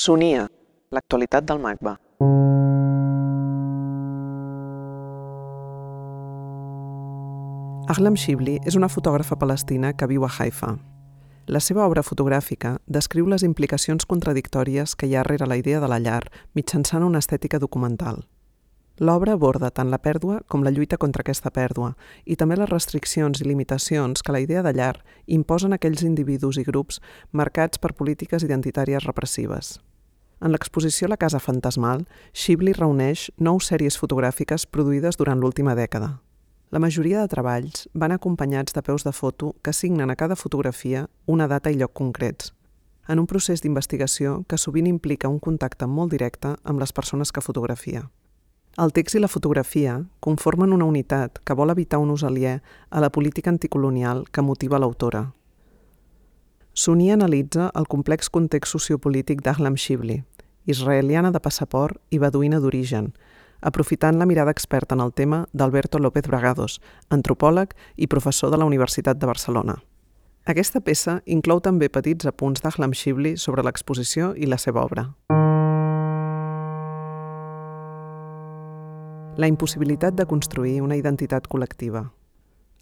Sonia, l'actualitat del MACBA. Ahlam Shibli és una fotògrafa palestina que viu a Haifa. La seva obra fotogràfica descriu les implicacions contradictòries que hi ha rere la idea de la llar mitjançant una estètica documental. L'obra aborda tant la pèrdua com la lluita contra aquesta pèrdua i també les restriccions i limitacions que la idea de llar imposen a aquells individus i grups marcats per polítiques identitàries repressives. En l'exposició La Casa Fantasmal, Shibli reuneix 9 sèries fotogràfiques produïdes durant l'última dècada. La majoria de treballs van acompanyats de peus de foto que assignen a cada fotografia una data i lloc concrets, en un procés d'investigació que sovint implica un contacte molt directe amb les persones que fotografia. El text i la fotografia conformen una unitat que vol evitar un ús aliè a la política anticolonial que motiva l'autora. Sonia analitza el complex context sociopolític d'Ahlam Shibli, israeliana de passaport i beduïna d'origen, aprofitant la mirada experta en el tema d'Alberto López Bragados, antropòleg i professor de la Universitat de Barcelona. Aquesta peça inclou també petits apunts d'Ahlam Shibli sobre l'exposició i la seva obra. La impossibilitat de construir una identitat col·lectiva.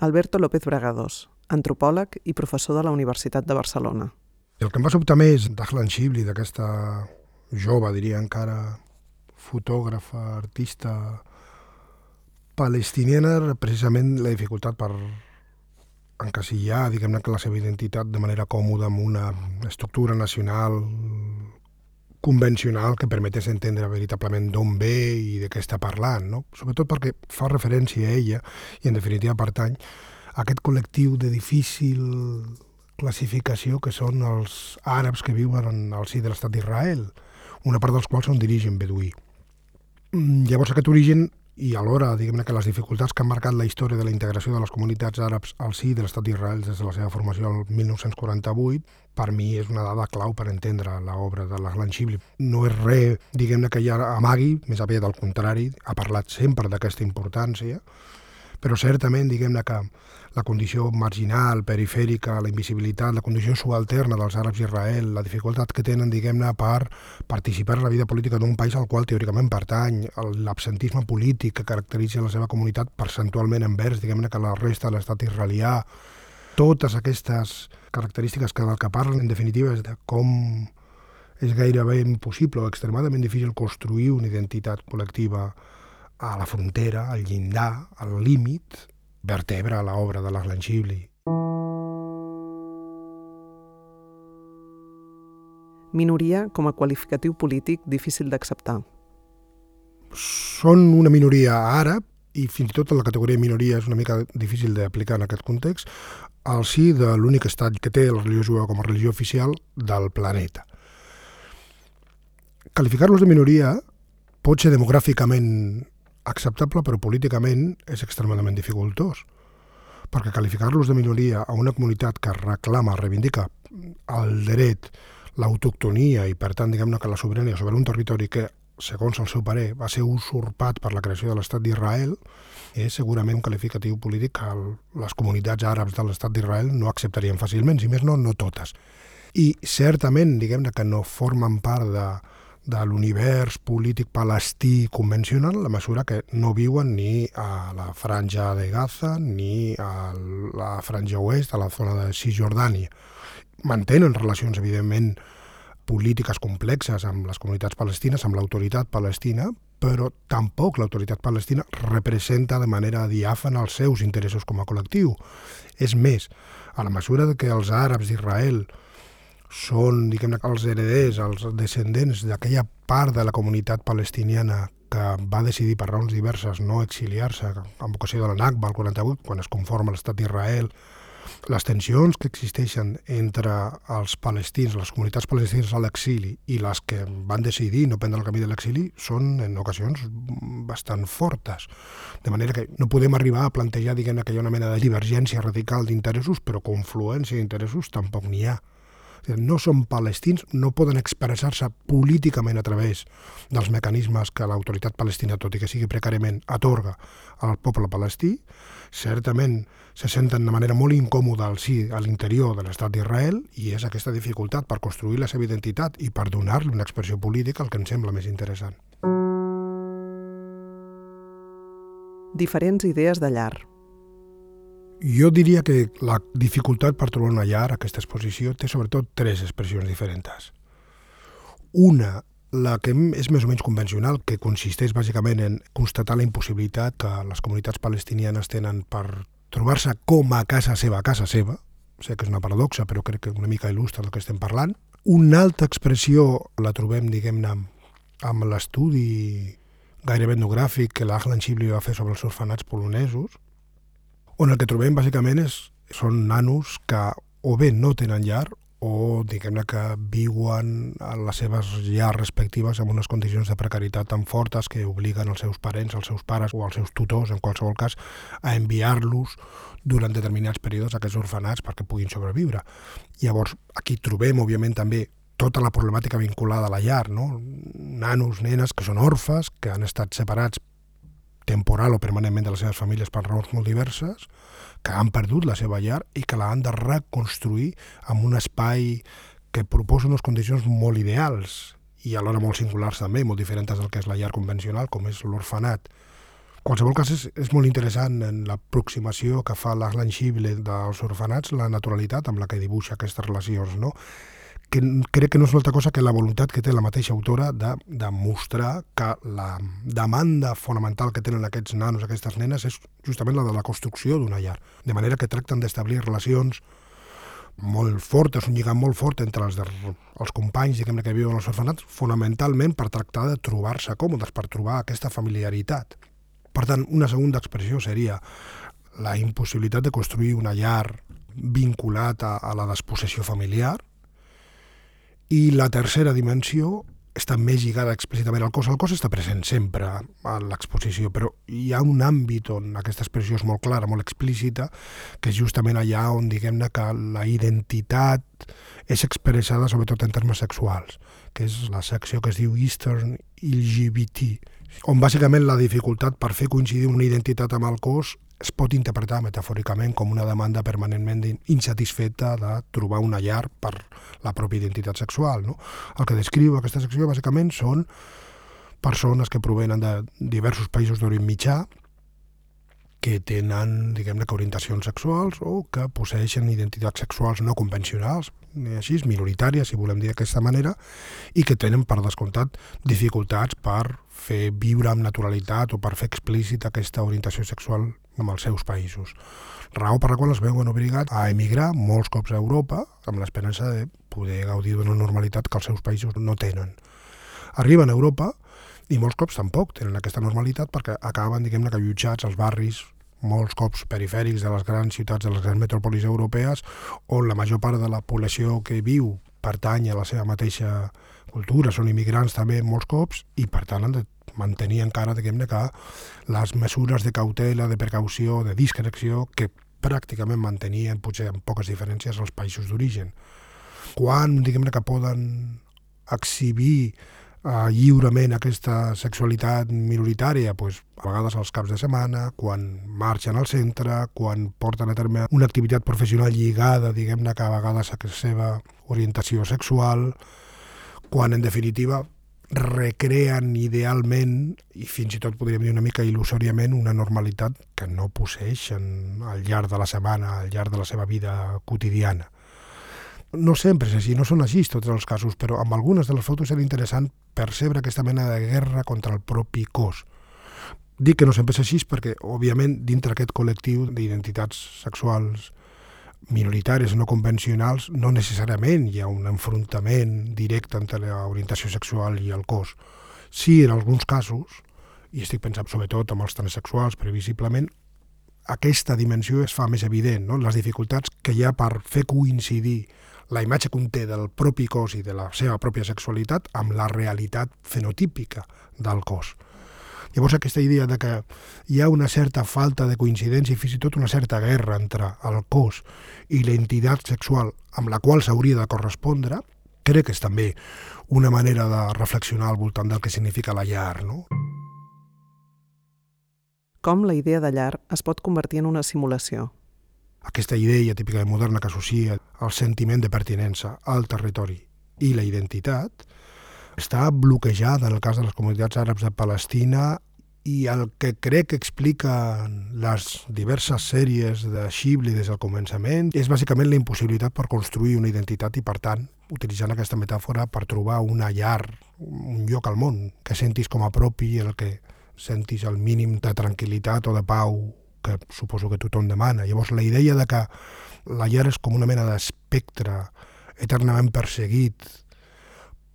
Alberto López Bragados, antropòleg i professor de la Universitat de Barcelona. El que em va sobtar més d'Ahlam Shibli, d'aquesta jove, diria encara, fotògrafa, artista palestiniana, era precisament la dificultat per encasillar, diguem-ne, que la seva identitat de manera còmoda amb una estructura nacional convencional que permetés entendre veritablement d'on ve i de què està parlant, no? Sobretot perquè fa referència a ella i, en definitiva, pertany a aquest col·lectiu de difícil classificació que són els àrabs que viuen al si de l'estat d'Israel, una part dels quals són d'origen beduí. Llavors aquest origen i alhora, diguem-ne, que les dificultats que han marcat la història de la integració de les comunitats àrabs al si de l'estat d'Israel des de la seva formació el 1948, per mi és una dada clau per entendre l'obra de l'Ahlam Shibli. No és res, diguem-ne, que ja amagui, més aviat al contrari, ha parlat sempre d'aquesta importància, però certament, diguem-ne, que la condició marginal, perifèrica, la invisibilitat, la condició subalterna dels àrabs d'Israel, la dificultat que tenen, diguem-ne, per participar en la vida política d'un país al qual teòricament pertany, l'absentisme polític que caracteritza la seva comunitat percentualment envers, diguem-ne, que la resta de l'estat israelià, totes aquestes característiques que del que parlen, en definitiva, és de com és gairebé impossible o extremadament difícil construir una identitat col·lectiva a la frontera, al llindar, al límit, vertebra l'obra de l'Ahlam Shibli. Minoria com a qualificatiu polític difícil d'acceptar. Són una minoria àrab, i fins i tot la categoria minoria és una mica difícil d'aplicar en aquest context, al si de l'únic estat que té la religió jueva com a religió oficial del planeta. Qualificar-los de minoria pot ser demogràficament acceptable, però políticament és extremadament dificultós, perquè qualificar-los de minoria a una comunitat que reclama, reivindica el dret, l'autoctonia i, per tant, diguem-ne, que la sobirania sobre un territori que, segons el seu parer, va ser usurpat per la creació de l'estat d'Israel, és segurament un qualificatiu polític que les comunitats àrabs de l'estat d'Israel no acceptarien fàcilment, si més no, no totes. I certament, diguem-ne, que no formen part de l'univers polític palestí convencional, la mesura que no viuen ni a la franja de Gaza ni a la franja oest, a la zona de Cisjordània. Mantenen relacions, evidentment, polítiques complexes amb les comunitats palestines, amb l'autoritat palestina, però tampoc l'autoritat palestina representa de manera diàfana els seus interessos com a col·lectiu. És més, a la mesura que els àrabs d'Israel són, diguem-ne, els hereders, els descendents d'aquella part de la comunitat palestiniana que va decidir per raons diverses no exiliar-se en ocasió de la Nakba al 48, quan es conforma l'estat d'Israel. Les tensions que existeixen entre els palestins, les comunitats palestines a l'exili i les que van decidir no prendre el camí de l'exili són en ocasions bastant fortes. De manera que no podem arribar a plantejar, diguem-ne, que hi ha una mena de divergència radical d'interessos, però confluència d'interessos tampoc n'hi ha. No són palestins, no poden expressar-se políticament a través dels mecanismes que l'autoritat palestina, tot i que sigui precàriament, atorga al poble palestí. Certament se senten de manera molt incòmoda al si a l'interior de l'estat d'Israel, i és aquesta dificultat per construir la seva identitat i per donar-li una expressió política el que em sembla més interessant. Diferents idees de llar. Jo diria que la dificultat per trobar una llar, aquesta exposició, té sobretot 3 expressions diferents. Una, la que és més o menys convencional, que consisteix bàsicament en constatar la impossibilitat que les comunitats palestinianes tenen per trobar-se com a casa seva. Sé que és una paradoxa, però crec que una mica il·lustra del que estem parlant. Una altra expressió la trobem, diguem-ne, amb l'estudi gairebé etnogràfic que l'Ahlan Shibli va fer sobre els orfenats polonesos, on el que trobem bàsicament són nanos que o bé no tenen llar o diguem-ne que viuen a les seves llars respectives en unes condicions de precarietat tan fortes que obliguen els seus parents, els seus pares o els seus tutors, en qualsevol cas, a enviar-los durant determinats períodes a aquests orfenats perquè puguin sobreviure. Llavors, aquí trobem, òbviament, també tota la problemàtica vinculada a la llar, no? Nanos, nenes que són orfes, que han estat separats temporal o permanentment de les seves famílies per raons molt diverses, que han perdut la seva llar i que l'han de reconstruir en un espai que proposa unes condicions molt ideals i alhora molt singulars també, molt diferents del que és la llar convencional, com és l'orfenat. En qualsevol cas, és molt interessant en l'aproximació que fa l'Ahlan Shibli dels orfenats, la naturalitat amb la que dibuixa aquestes relacions, no? Que crec que no és una altra cosa que la voluntat que té la mateixa autora de mostrar que la demanda fonamental que tenen aquests nanos, aquestes nenes, és justament la de la construcció d'una llar. De manera que tracten d'establir relacions molt fortes, un lligam molt fort entre els companys, diguem-ne, que viuen als orfenats, fonamentalment per tractar de trobar-se còmodes, per trobar aquesta familiaritat. Per tant, una segona expressió seria la impossibilitat de construir una llar vinculat a la despossessió familiar. I la tercera dimensió està més lligada explícitament al cos. El cos està present sempre a l'exposició, però hi ha un àmbit on aquesta expressió és molt clara, molt explícita, que és justament allà on, diguem-ne, que la identitat és expressada sobretot en termes sexuals, que és la secció que es diu Eastern LGBT, on bàsicament la dificultat per fer coincidir una identitat amb el cos es pot interpretar metafòricament com una demanda permanentment insatisfeta de trobar una llar per la pròpia identitat sexual, no? El que descriu aquesta secció bàsicament són persones que provenen de diversos països d'Orient Mitjà que tenen, diguem-ne, orientacions sexuals o que posseixen identitats sexuals no convencionals, així, minoritàries, si volem dir d'aquesta manera, i que tenen, per descomptat, dificultats per fer viure amb naturalitat o per fer explícita aquesta orientació sexual en els seus països. Raó per la qual es veuen obligats a emigrar molts cops a Europa amb l'esperança de poder gaudir d'una normalitat que els seus països no tenen. Arriben a Europa i molts cops tampoc tenen aquesta normalitat perquè acaben, diguem-ne, que allotjats als barris molts cops perifèrics de les grans ciutats, de les grans metròpolis europees, on la major part de la població que viu pertany a la seva mateixa cultura, són immigrants també molts cops, i per tant han de mantenir encara, diguem-ne, que les mesures de cautela, de precaució, de discreció, que pràcticament mantenien, potser amb poques diferències, els països d'origen. Quan, diguem-ne, que poden exhibir lliurement aquesta sexualitat minoritària, doncs, a vegades als caps de setmana, quan marxen al centre, quan porten a terme una activitat professional lligada, diguem-ne, que a vegades a la seva orientació sexual, quan, en definitiva, recreen idealment, i fins i tot podríem dir una mica il·lusòriament, una normalitat que no posseixen al llarg de la setmana, al llarg de la seva vida quotidiana. No sempre és així, no són així tots els casos, però amb algunes de les fotos era interessant percebre aquesta mena de guerra contra el propi cos. Dic que no sempre és així perquè, òbviament, dintre aquest col·lectiu d'identitats sexuals minoritàries no convencionals, no necessàriament hi ha un enfrontament directe entre l'orientació sexual i el cos. Sí, en alguns casos, i estic pensant sobretot en els transsexuals, previsiblement, aquesta dimensió es fa més evident, no? Les dificultats que hi ha per fer coincidir la imatge que conté del propi cos i de la seva pròpia sexualitat amb la realitat fenotípica del cos. Llavors aquesta idea de que hi ha una certa falta de coincidència i fins i tot una certa guerra entre el cos i la entitat sexual amb la qual s'hauria de correspondre, crec que és també una manera de reflexionar al voltant del que significa la llar, no? Com la idea de llar es pot convertir en una simulació. Aquesta idea típica i moderna que associa el sentiment de pertinença al territori i la identitat està bloquejada en el cas de les comunitats àrabs de Palestina i el que crec que expliquen les diverses sèries de Shibli des del començament és bàsicament la impossibilitat per construir una identitat i, per tant, utilitzant aquesta metàfora per trobar una llar, un lloc al món que sentis com a propi, en el que sentis el mínim de tranquil·litat o de pau que suposo que tothom demana. Llavors, la idea de que la llar és com una mena d'espectre eternament perseguit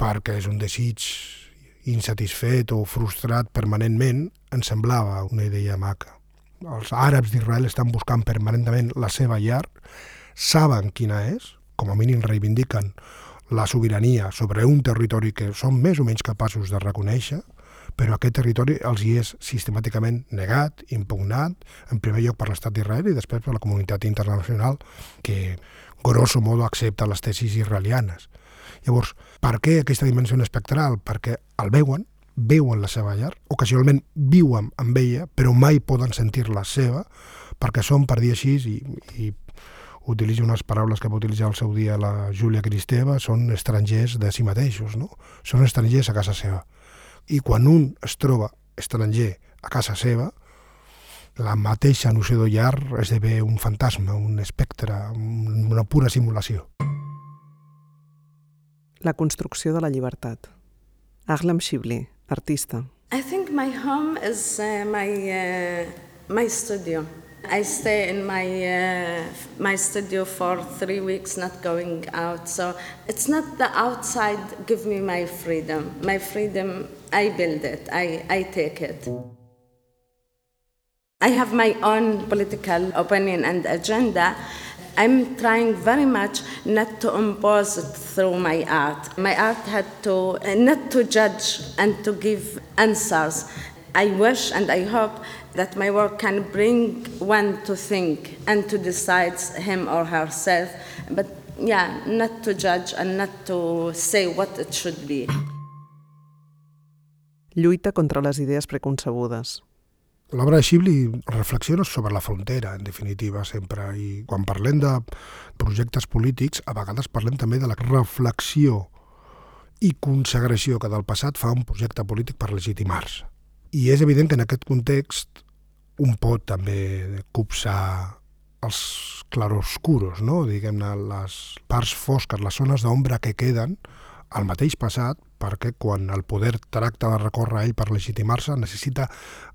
perquè és un desig insatisfet o frustrat permanentment, em semblava una idea maca. Els àrabs d'Israel estan buscant permanentment la seva llar, saben quina és, com a mínim reivindiquen la sobirania sobre un territori que són més o menys capaços de reconèixer, però aquest territori els hi és sistemàticament negat, impugnat, en primer lloc per l'estat d'Israel i després per la comunitat internacional que, grosso modo, accepta les tesis israelianes. Llavors, per què aquesta dimensió espectral? Perquè el veuen la seva llar, ocasionalment viuen amb ella, però mai poden sentir-la seva, perquè són, per dir així, i utilitzo unes paraules que va utilitzar al seu dia la Júlia Kristeva, són estrangers de si mateixos, no? Són estrangers a casa seva. I quan un es troba estranger a casa seva, la mateixa noció de llar esdevé un fantasma, un espectre, una pura simulació. La construcció de la llibertat. Ahlam Shibli, artista. I think my home is my studio. I stay in my studio for 3 weeks, not going out. So it's not the outside give me my freedom. My freedom, I build it. I take it. I have my own political opinion and agenda. I'm trying very much not to impose it through my art. My art had to not to judge and to give answers. I wish and I hope that my work can bring one to think and to decide him or herself, but yeah, not to judge and not to say what it should be. Lluita contra les idees preconcebudes. L'obra de Shibli reflexiona sobre la frontera, en definitiva, sempre. I quan parlem de projectes polítics, a vegades parlem també de la reflexió i consagració que del passat fa un projecte polític per legitimar-se. I és evident que en aquest context un pot també copsar els claroscuros, no? Diguem-ne, les parts fosques, les zones d'ombra que queden al mateix passat, perquè quan el poder tracta de recórrer a ell per legitimar-se necessita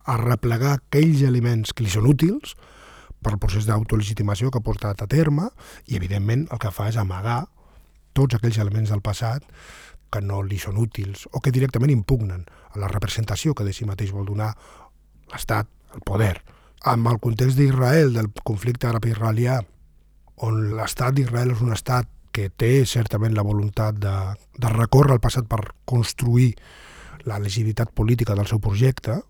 arreplegar aquells elements que li són útils per al procés d'autolegitimació que ha portat a terme i, evidentment, el que fa és amagar tots aquells elements del passat que no li són útils o que directament impugnen a la representació que de si mateix vol donar l'Estat, el poder. Amb el context d'Israel, del conflicte àrab-israelià, on l'Estat d'Israel és un estat que té certament la voluntat de recórrer al passat per construir la legitimitat política del seu projecte,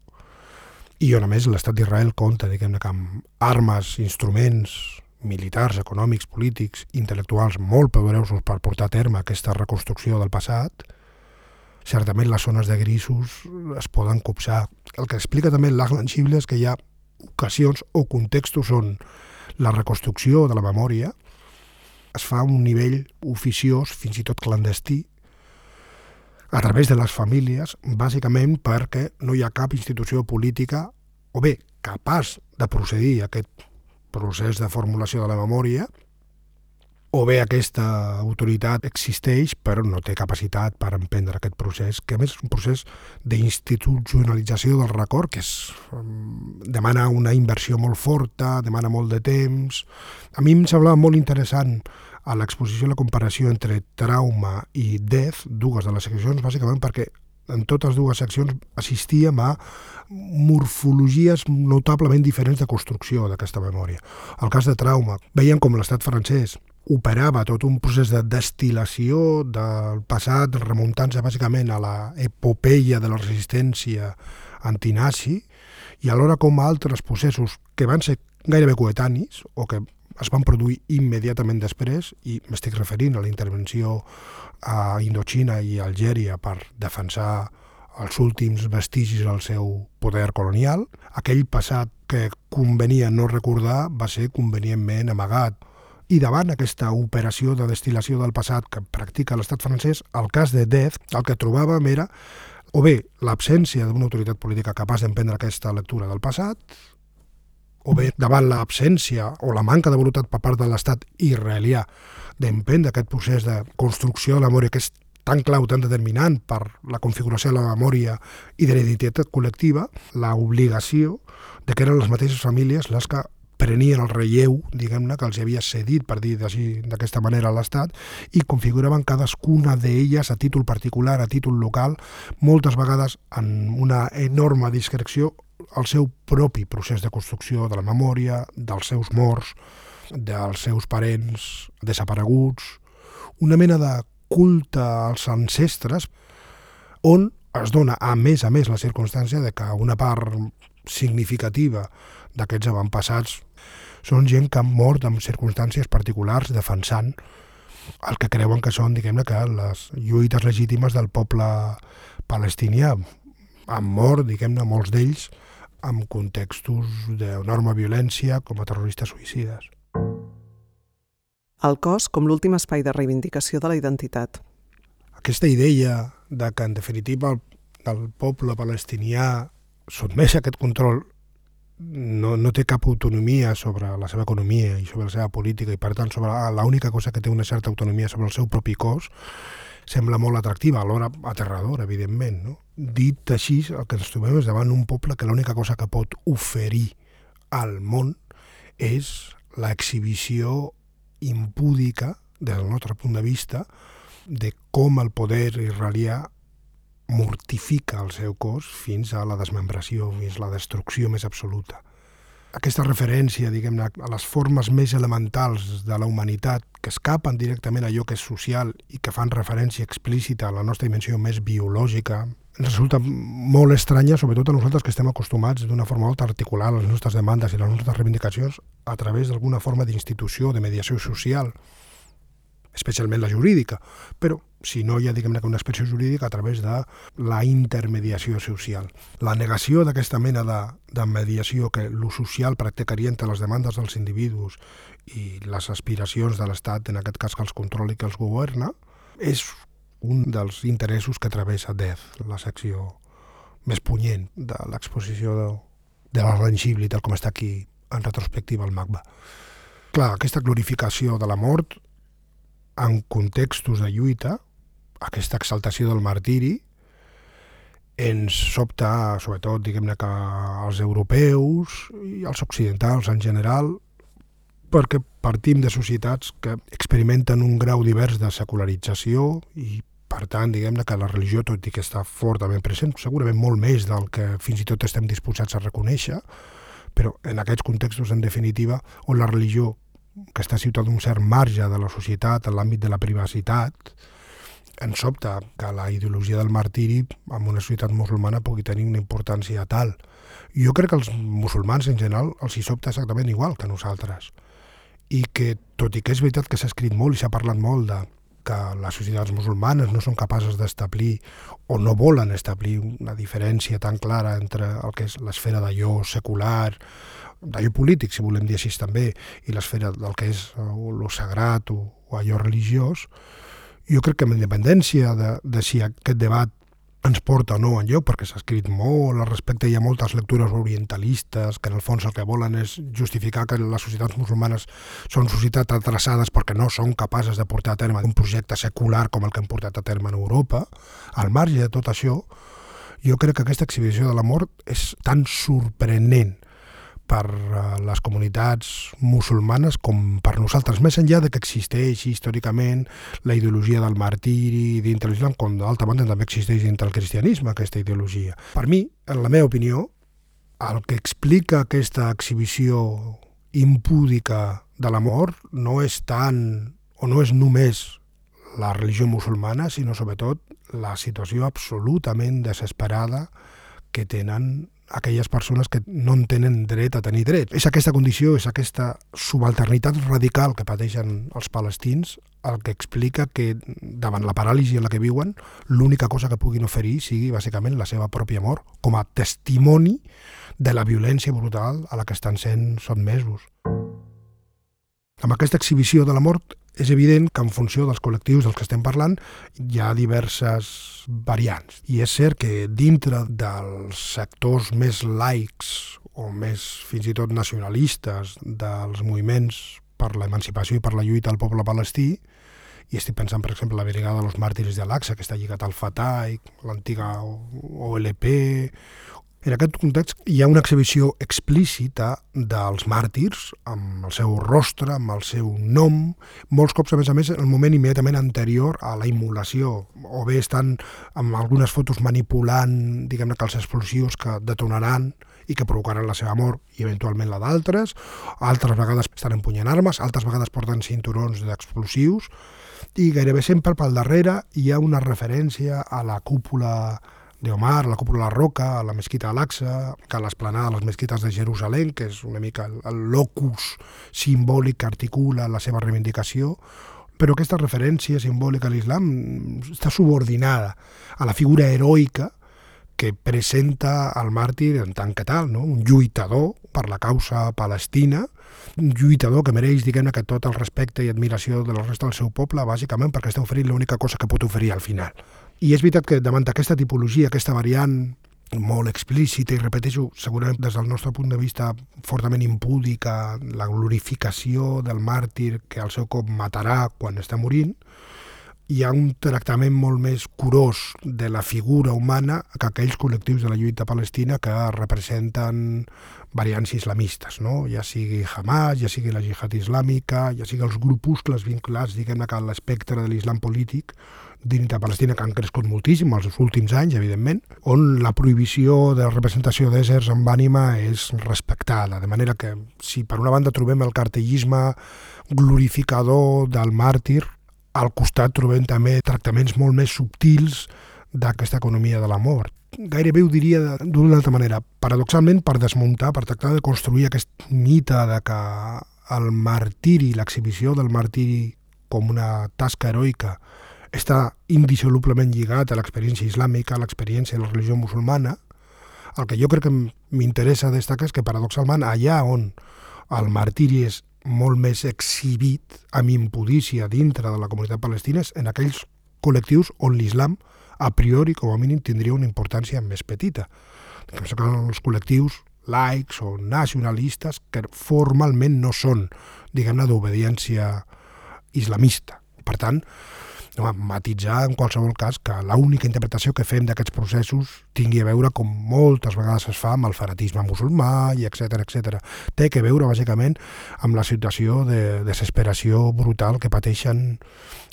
i on a més l'estat d'Israel compta, diguem-ne, amb armes, instruments militars, econòmics, polítics, intel·lectuals molt poderosos per portar a terme aquesta reconstrucció del passat, certament les zones de grisos es poden copsar. El que explica també l'Ahlam Shibli és que hi ha ocasions o contextos on la reconstrucció de la memòria es fa a un nivell oficiós, fins i tot clandestí, a través de les famílies, bàsicament perquè no hi ha cap institució política, o bé, capaç de procedir a aquest procés de formulació de la memòria, o bé aquesta autoritat existeix però no té capacitat per emprendre aquest procés, que a més és un procés d'institucionalització del record, que demana una inversió molt forta, demana molt de temps. A mi em semblava molt interessant a l'exposició la comparació entre Trauma i Death, dues de les seccions, bàsicament perquè en totes dues seccions assistíem a morfologies notablement diferents de construcció d'aquesta memòria. El cas de Trauma, veiem com l'estat francès operava tot un procés de destil·lació del passat, remuntant-se bàsicament a l'epopeia de la resistència antinazi, i alhora com altres processos que van ser gairebé coetanis o que es van produir immediatament després, i m'estic referint a la intervenció a Indoxina i a Algèria per defensar els últims vestigis del seu poder colonial. Aquell passat que convenia no recordar va ser convenientment amagat. I davant aquesta operació de destil·lació del passat que practica l'estat francès, el cas de Deth, el que trobàvem era o bé l'absència d'una autoritat política capaç d'emprendre aquesta lectura del passat, o bé davant l'absència o la manca de voluntat per part de l'estat israelià d'emprendre aquest procés de construcció de la memòria que és tan clau, tan determinant per la configuració de la memòria i de la identitat col·lectiva, l'obligació de que eren les mateixes famílies les que prenien el relleu, diguem-ne, que els havia cedit, per dir d'aquesta manera, a l'Estat, i configuraven cadascuna d'elles a títol particular, a títol local, moltes vegades en una enorme discreció, el seu propi procés de construcció de la memòria, dels seus morts, dels seus parents desapareguts, una mena de culte als ancestres, on es dona, a més, la circumstància de que una part significativa d'aquests avantpassats són gent que han mort en circumstàncies particulars defensant el que creuen que són, diguem-ne, que les lluites legítimes del poble palestinià. Han mort, diguem-ne, molts d'ells en contextos d'enorme violència com a terroristes suïcides. El cos com l'últim espai de reivindicació de la identitat. Aquesta idea de que, en definitiva, el poble palestinià sotmès a aquest control no té cap autonomia sobre la seva economia i sobre la seva política, i per tant sobre l'única cosa que té una certa autonomia sobre el seu propi cos, sembla molt atractiva, alhora aterradora, evidentment, no? Dit així, el que ens trobem és davant un poble que l'única cosa que pot oferir al món és l'exhibició impúdica, des del nostre punt de vista, de com el poder israelià mortifica el seu cos fins a la desmembració, fins a la destrucció més absoluta. Aquesta referència, diguem-ne, a les formes més elementals de la humanitat que escapen directament a allò que és social i que fan referència explícita a la nostra dimensió més biològica, ens resulta molt estranya, sobretot a nosaltres que estem acostumats d'una forma molt a articular les nostres demandes i les nostres reivindicacions a través d'alguna forma d'institució, de mediació social, especialment la jurídica, però si no hi ha, diguem-ne, una expressió jurídica a través de la intermediació social. La negació d'aquesta mena de mediació que l'ús social practicaria entre les demandes dels individus i les aspiracions de l'Estat, en aquest cas que els controla i que els governa, és un dels interessos que travessa Deth, la secció més punyent de l'exposició de la Ranchibli, tal com està aquí en retrospectiva al MACBA. Clar, aquesta glorificació de la mort en contextos de lluita, aquesta exaltació del martiri, ens sobta, sobretot, diguem-ne, que els europeus i els occidentals en general, perquè partim de societats que experimenten un grau divers de secularització i, per tant, diguem-ne que la religió, tot i que està fortament present, segurament molt més del que fins i tot estem disposats a reconèixer, però en aquests contextos, en definitiva, on la religió, que està situada d'un cert marge de la societat, en l'àmbit de la privacitat, ens sobta que la ideologia del martiri en una societat musulmana pugui tenir una importància tal. Jo crec que els musulmans en general els hi sobta exactament igual que nosaltres. I que, tot i que és veritat que s'ha escrit molt i s'ha parlat molt de que les societats musulmanes no són capaces d'establir o no volen establir una diferència tan clara entre el que és l'esfera d'allò secular, d'allò polític, si volem dir així també, i l'esfera del que és lo sagrat o allò religiós, jo crec que amb independència de si aquest debat ens porta o no enlloc, perquè s'ha escrit molt al respecte, hi ha moltes lectures orientalistes que en el fons el que volen és justificar que les societats musulmanes són societats atrasades perquè no són capaces de portar a terme un projecte secular com el que hem portat a terme en Europa. Al marge de tot això, jo crec que aquesta exhibició de la mort és tan sorprenent per les comunitats musulmanes com per nosaltres, més enllà de que existeix històricament la ideologia del martiri dintre l'islam, com d'altra banda també existeix dintre el cristianisme aquesta ideologia. Per mi, en la meva opinió, el que explica aquesta exhibició impúdica de la mort no és tant o no és només la religió musulmana, sinó sobretot la situació absolutament desesperada que tenen aquelles persones que no en tenen dret a tenir dret. És aquesta condició, és aquesta subalternitat radical que pateixen els palestins el que explica que davant la paràlisi en la que viuen l'única cosa que puguin oferir sigui bàsicament la seva pròpia mort com a testimoni de la violència brutal a la que estan sent sotmesos. Amb aquesta exhibició de la mort és evident que en funció dels col·lectius dels que estem parlant hi ha diverses variants. I és cert que dintre dels sectors més laics o més fins i tot nacionalistes dels moviments per l'emancipació i per la lluita al poble palestí, i estic pensant, per exemple, la Brigada dels Màrtirs d'Al-Aqsa, que està lligat al Fatah, l'antiga OLP. En aquest context hi ha una exhibició explícita dels màrtirs, amb el seu rostre, amb el seu nom, molts cops, a més, en el moment immediatament anterior a la immolació, o bé estan amb algunes fotos manipulant, diguem-ne, que els explosius que detonaran i que provocaran la seva mort i eventualment la d'altres, altres vegades estan empunyant armes, altres vegades porten cinturons d'explosius, i gairebé sempre pel darrere hi ha una referència a la cúpula d'Omar, a la cúpula de la Roca, a la mesquita d'Al-Aqsa, que a l'esplanada de les mesquites de Jerusalem, que és una mica el locus simbòlic que articula la seva reivindicació, però aquesta referència simbòlica a l'islam està subordinada a la figura heroica que presenta el màrtir en tant que tal, no? Un lluitador per la causa palestina, un lluitador que mereix, diguem-ne, que tot el respecte i admiració de la resta del seu poble, bàsicament perquè està oferint l'única cosa que pot oferir al final. I és veritat que davant d'aquesta tipologia, aquesta variant molt explícita, i repeteixo, segurament des del nostre punt de vista fortament impúdica, la glorificació del màrtir que al seu cop matarà quan està morint, hi ha un tractament molt més curós de la figura humana que aquells col·lectius de la lluita palestina que representen variants islamistes, no? Ja sigui Hamas, ja sigui la Jihad Islàmica, ja sigui els grupuscles vinculats, diguem-ne, a l'espectre de l'islam polític dintre de Palestina, que han crescut moltíssim els últims anys, evidentment, on la prohibició de representació d'éssers amb ànima és respectada. De manera que, si per una banda trobem el cartellisme glorificador del màrtir, al costat trobem també tractaments molt més subtils d'aquesta economia de la mort. Gairebé ho diria d'una altra manera, paradoxalment per desmuntar, per tractar de construir aquest mite de que el martiri, l'exhibició del martiri com una tasca heroica està indissolublement lligat a l'experiència islàmica, a l'experiència de la religió musulmana. El que jo crec que m'interessa destacar és que paradoxalment allà on el martiri és molt més exhibit amb impudícia dintre de la comunitat palestina és en aquells col·lectius on l'islam a priori, com a mínim, tindria una importància més petita. Que són els col·lectius laics o nacionalistes que formalment no són, diguem-ne, d'obediència islamista. Per tant, matitzar en qualsevol cas que l'única interpretació que fem d'aquests processos tingui a veure, com moltes vegades es fa, amb el fanatisme musulmà i etcètera, etcètera. Té que veure bàsicament amb la situació de desesperació brutal que pateixen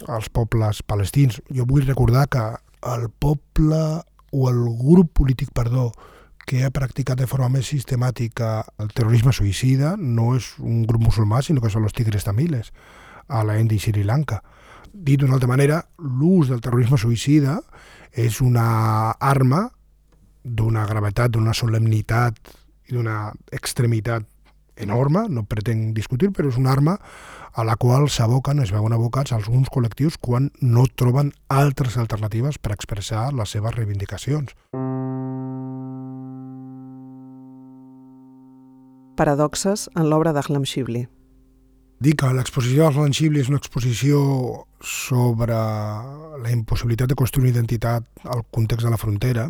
els pobles palestins. Jo vull recordar que el poble o el grup polític, que ha practicat de forma més sistemàtica el terrorisme suïcida no és un grup musulmà, sinó que són els tigres tamiles a la Índia i Sri Lanka. Dit d'una altra manera, l'ús del terrorisme suïcida és una arma d'una gravetat, d'una solemnitat i d'una extremitat enorme, no pretenc discutir, però és una arma a la qual s'aboquen, es veuen abocats alguns col·lectius quan no troben altres alternatives per expressar les seves reivindicacions. Paradoxes en l'obra d'Ahlam Shibli. Dic que l'exposició d'Ahlam Shibli és una exposició sobre la impossibilitat de construir una identitat al context de la frontera.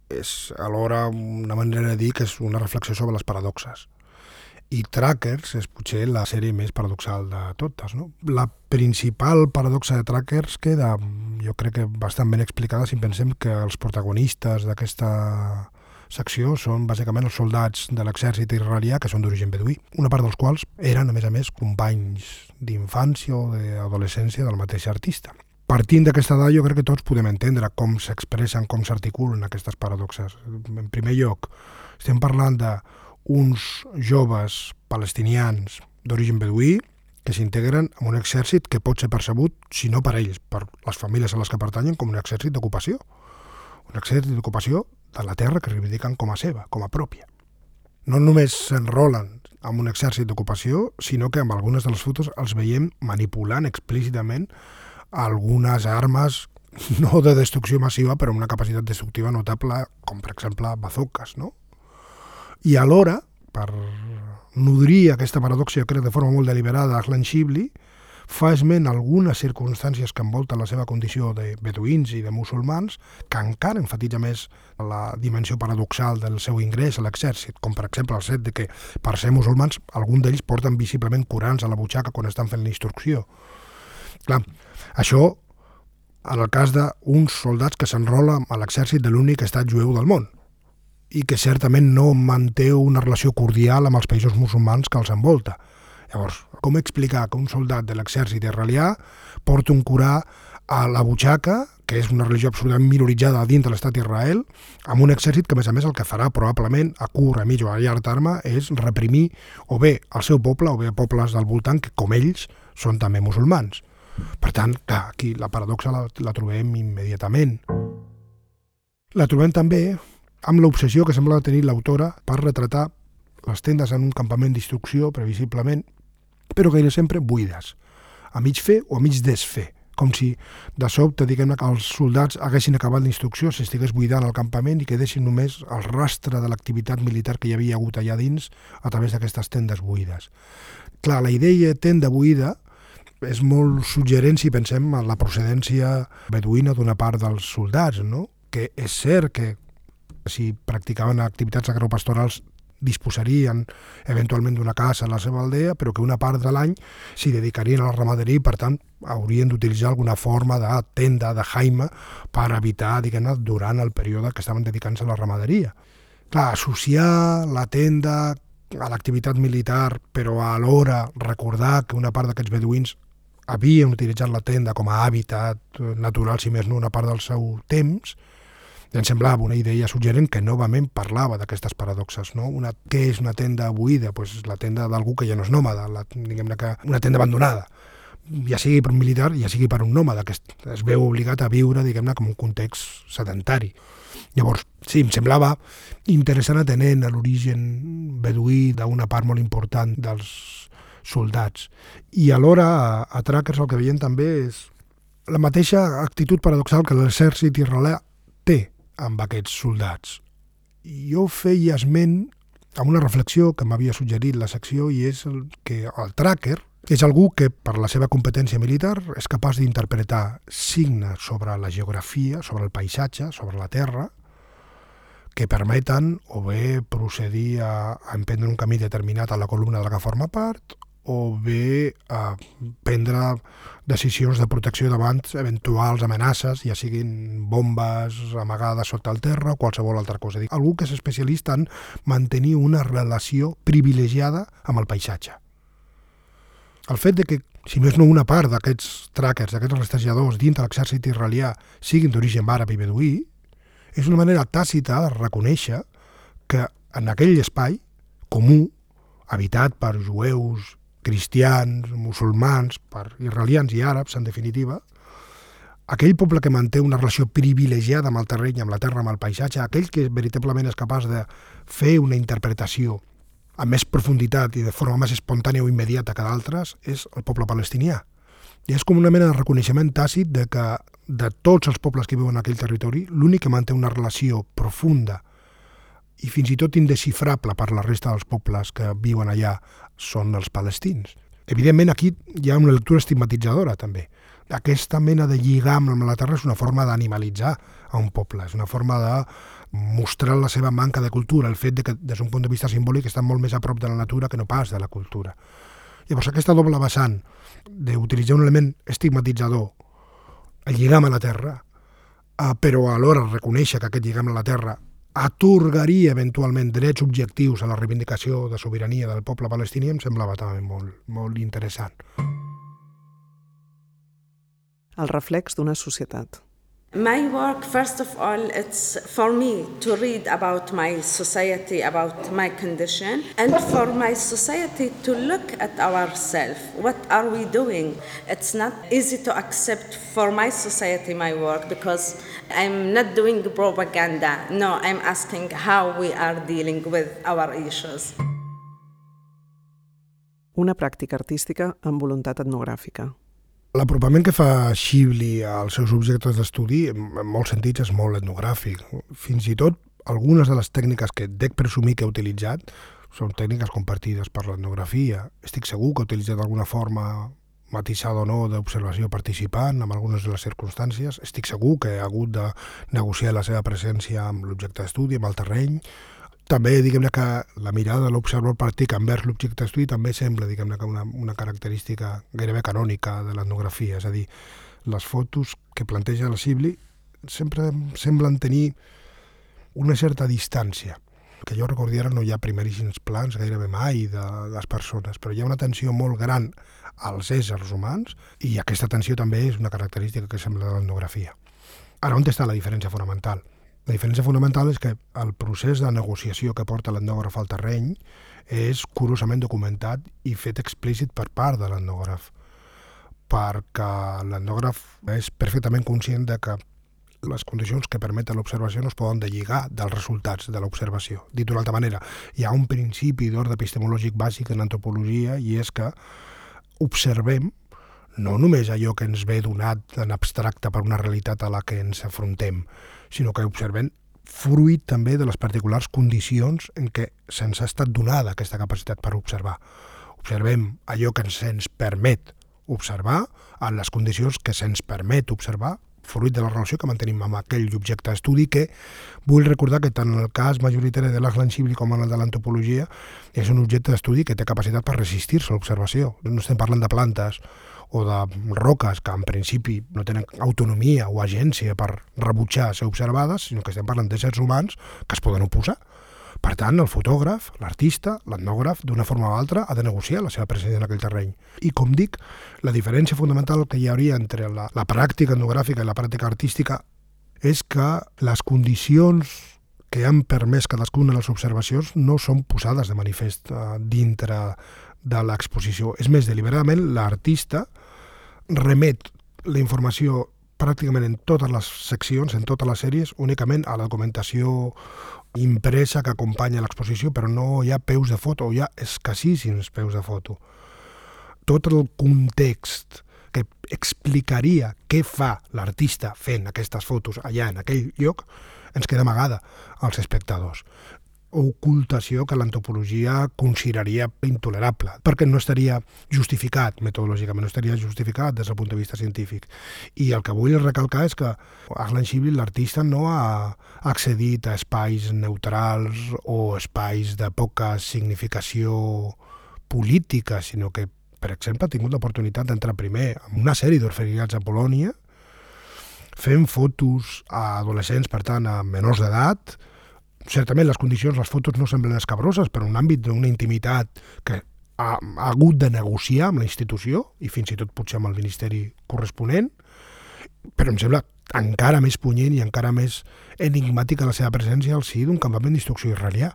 És alhora una manera de dir que és una reflexió sobre les paradoxes. I Trackers és potser la sèrie més paradoxal de totes, no? La principal paradoxa de Trackers queda, jo crec que bastant ben explicada si pensem que els protagonistes d'aquesta secció són bàsicament els soldats de l'exèrcit israelià que són d'origen beduí, una part dels quals eren, a més, companys d'infància o d'adolescència del mateix artista. Partint d'aquesta dada, jo crec que tots podem entendre com s'expressen, com s'articulen aquestes paradoxes. En primer lloc, estem parlant d'uns joves palestinians d'origen beduí que s'integren en un exèrcit que pot ser percebut, si no per ells, per les famílies a les que pertanyen, com un exèrcit d'ocupació. Un exèrcit d'ocupació de la terra que reivindiquen com a seva, com a pròpia. No només s'enrolen en un exèrcit d'ocupació, sinó que amb algunes de les fotos els veiem manipulant explícitament algunes armes, no de destrucció massiva, però amb una capacitat destructiva notable, com per exemple bazookas, no? I alhora, per nodrir aquesta paradoxa, jo crec de forma molt deliberada, Aslan Shibli fa esment algunes circumstàncies que envolten la seva condició de beduïns i de musulmans, que encara enfatitza més la dimensió paradoxal del seu ingrés a l'exèrcit, com per exemple el fet de que, per ser musulmans, alguns d'ells porten visiblement Corans a la butxaca quan estan fent la instrucció. Clar, això en el cas d'uns soldats que s'enrolen a l'exèrcit de l'únic estat jueu del món i que certament no manté una relació cordial amb els països musulmans que els envolta. Llavors, com explicar que un soldat de l'exèrcit israelià porta un Corà a la butxaca, que és una religió absolutament minoritzada dins de l'estat d'Israel, amb un exèrcit que, a més el que farà probablement a curt, a mig o a llarg terme és reprimir o bé el seu poble o bé pobles del voltant que, com ells, són també musulmans. Per tant, clar, aquí la paradoxa la trobem immediatament. La trobem també amb l'obsessió que sembla tenir l'autora per retratar les tendes en un campament d'instrucció, previsiblement, però gaire sempre buides, a mig fer o a mig desfer, com si de sobte, diguem-ne, que els soldats haguessin acabat l'instrucció, s'estigués buidant el campament i quedessin només el rastre de l'activitat militar que hi havia hagut allà dins a través d'aquestes tendes buides. Clar, la idea tenda buida és molt suggerent si pensem en la procedència beduïna d'una part dels soldats, no? Que és cert que si practicaven activitats agropastorals disposarien eventualment d'una casa a la seva aldea, però que una part de l'any s'hi dedicarien a la ramaderia i, per tant, haurien d'utilitzar alguna forma de tenda, de jaima, per evitar, diguem-ne, durant el període que estaven dedicant-se a la ramaderia. Clar, associar la tenda a l'activitat militar, però alhora recordar que una part d'aquests beduïns havien utilitzat la tenda com a hàbitat natural, si més no, una part del seu temps, em semblava una idea suggerent que novament parlava d'aquestes paradoxes, no? Què és una tenda buida? Pues la tenda d'algú que ja no és nòmada, diguem-ne que una tenda abandonada, ja sigui per un militar, ja sigui per un nòmada, que es veu obligat a viure, diguem-ne, com un context sedentari. Llavors, sí, em semblava interessant atenent a l'origen beduí d'una part molt important dels soldats. I alhora, a Trackers el que veiem també és la mateixa actitud paradoxal que l'exèrcit israelià té amb aquests soldats. Jo feia esment amb una reflexió que m'havia suggerit la secció, i és que el tracker és algú que, per la seva competència militar, és capaç d'interpretar signes sobre la geografia, sobre el paisatge, sobre la terra, que permeten o bé procedir a emprendre un camí determinat a la columna de la que forma part, o bé a prendre decisions de protecció davant eventuals amenaces, ja siguin bombes amagades sota el terra o qualsevol altra cosa. Algú que és especialista en mantenir una relació privilegiada amb el paisatge. El fet de que, si més no una part d'aquests trackers, d'aquests rastrejadors dins de l'exèrcit israelià siguin d'origen àrab i beduí, és una manera tàcita de reconèixer que en aquell espai comú, habitat per jueus, cristians, musulmans, per israelians i àrabs, en definitiva, aquell poble que manté una relació privilegiada amb el terreny, amb la terra, amb el paisatge, aquell que veritablement és capaç de fer una interpretació amb més profunditat i de forma més espontània o immediata que d'altres, és el poble palestinià. I és com una mena de reconeixement tàcit de que de tots els pobles que viuen en aquell territori, l'únic que manté una relació profunda i fins i tot indesxifrable per la resta dels pobles que viuen allà són els palestins. Evidentment, aquí hi ha una lectura estigmatitzadora, també. Aquesta mena de lligam amb la terra és una forma d'animalitzar a un poble, és una forma de mostrar la seva manca de cultura, el fet de que, des d'un punt de vista simbòlic, estan molt més a prop de la natura que no pas de la cultura. Llavors, aquesta doble vessant d'utilitzar un element estigmatitzador, el lligam a la terra, però alhora reconèixer que aquest lligam a la terra atorgaria eventualment drets objectius a la reivindicació de sobirania del poble palestini, em semblava també molt interessant. El reflex d'una societat. My work, first of all, it's for me to read about my society, about my condition, and for my society to look at ourselves. What are we doing? It's not easy to accept for my society my work because I'm not doing propaganda. No, I'm asking how we are dealing with our issues. Una pràctica artística amb voluntat etnogràfica. L'apropament que fa Shibli als seus objectes d'estudi, en molts sentits, és molt etnogràfic. Fins i tot, algunes de les tècniques que dec presumir que ha utilitzat són tècniques compartides per l'etnografia. Estic segur que ha utilitzat d'alguna forma matisada o no d'observació participant en algunes de les circumstàncies. Estic segur que ha hagut de negociar la seva presència amb l'objecte d'estudi, amb el terreny. També, diguem-ne, que la mirada de l'observador pràctic envers l'objecte d'estudi també sembla, diguem-ne, que una característica gairebé canònica de l'etnografia. És a dir, les fotos que planteja la Shibli sempre semblen tenir una certa distància. Que jo recordi ara no hi ha primeríssims plans gairebé mai de les persones, però hi ha una atenció molt gran als éssers humans i aquesta atenció també és una característica que sembla de l'etnografia. Ara, on està la diferència fonamental? La diferència fonamental és que el procés de negociació que porta l'etnògraf al terreny és curosament documentat i fet explícit per part de l'etnògraf, perquè l'etnògraf és perfectament conscient de que les condicions que permeten l'observació no es poden deslligar dels resultats de l'observació. Dit d'una altra manera, hi ha un principi d'ordre epistemològic bàsic en antropologia i és que observem no només allò que ens ve donat en abstracte per una realitat a la que ens afrontem, sinó que observem fruit també de les particulars condicions en què se'ns ha estat donada aquesta capacitat per observar. Observem allò que se'ns permet observar en les condicions que se'ns permet observar fruit de la relació que mantenim amb aquell objecte d'estudi que vull recordar que tant en el cas majoritari de l'Aslan Shibli com en el de l'antropologia és un objecte d'estudi que té capacitat per resistir-se a l'observació. No estem parlant de plantes o de roques que en principi no tenen autonomia o agència per rebutjar ser observades, sinó que estem parlant d'éssers humans que es poden oposar. Per tant, el fotògraf, l'artista, l'etnògraf, d'una forma o altra, ha de negociar la seva presència en aquell terreny. I, com dic, la diferència fonamental que hi hauria entre la pràctica etnogràfica i la pràctica artística és que les condicions que han permès cadascuna de les observacions no són posades de manifest dintre de l'exposició. És més, deliberadament, l'artista remet la informació pràcticament en totes les seccions, en totes les sèries, únicament a la documentació impresa que acompanya l'exposició, però no hi ha peus de foto, hi ha escassíssims peus de foto. Tot el context que explicaria què fa l'artista fent aquestes fotos allà en aquell lloc ens queda amagada als espectadors. Ocultació que l'antropologia consideraria intolerable, perquè no estaria justificat metodològicament, no estaria justificat des del punt de vista científic. I el que vull recalcar és que Aslan Shibli, l'artista, no ha accedit a espais neutrals o espais de poca significació política, sinó que, per exemple, ha tingut l'oportunitat d'entrar primer en una sèrie d'orferinats a Polònia, fent fotos a adolescents, per tant, a menors d'edat. Certament les condicions, les fotos no semblen escabroses, però en un àmbit d'una intimitat que ha hagut de negociar amb la institució i fins i tot potser amb el ministeri corresponent, però em sembla encara més punyent i encara més enigmàtica la seva presència al si d'un campament d'instrucció israelià,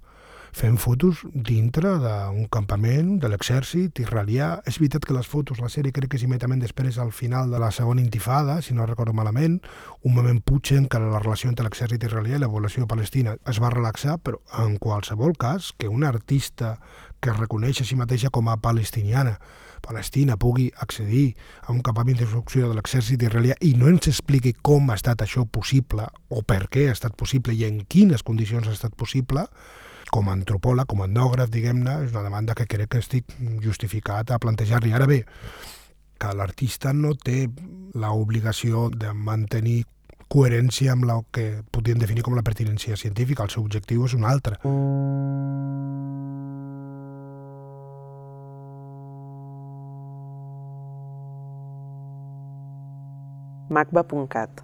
fent fotos dintre d'un campament de l'exèrcit israelià. És veritat que les fotos, la sèrie crec que s'immediatament després al final de la segona intifada, si no recordo malament, un moment potser en què la relació entre l'exèrcit israelià i la població palestina es va relaxar, però en qualsevol cas que un artista que es reconeix a si mateixa com a palestina pugui accedir a un campament d'instrucció de l'exèrcit israelià i no ens expliqui com ha estat això possible o per què ha estat possible i en quines condicions ha estat possible, com a antropòleg, com a etnògraf, diguem-ne, és una demanda que crec que estic justificat a plantejar-li. Ara bé, que l'artista no té l'obligació de mantenir coherència amb el que podríem definir com la pertinència científica. El seu objectiu és un altre. macba.cat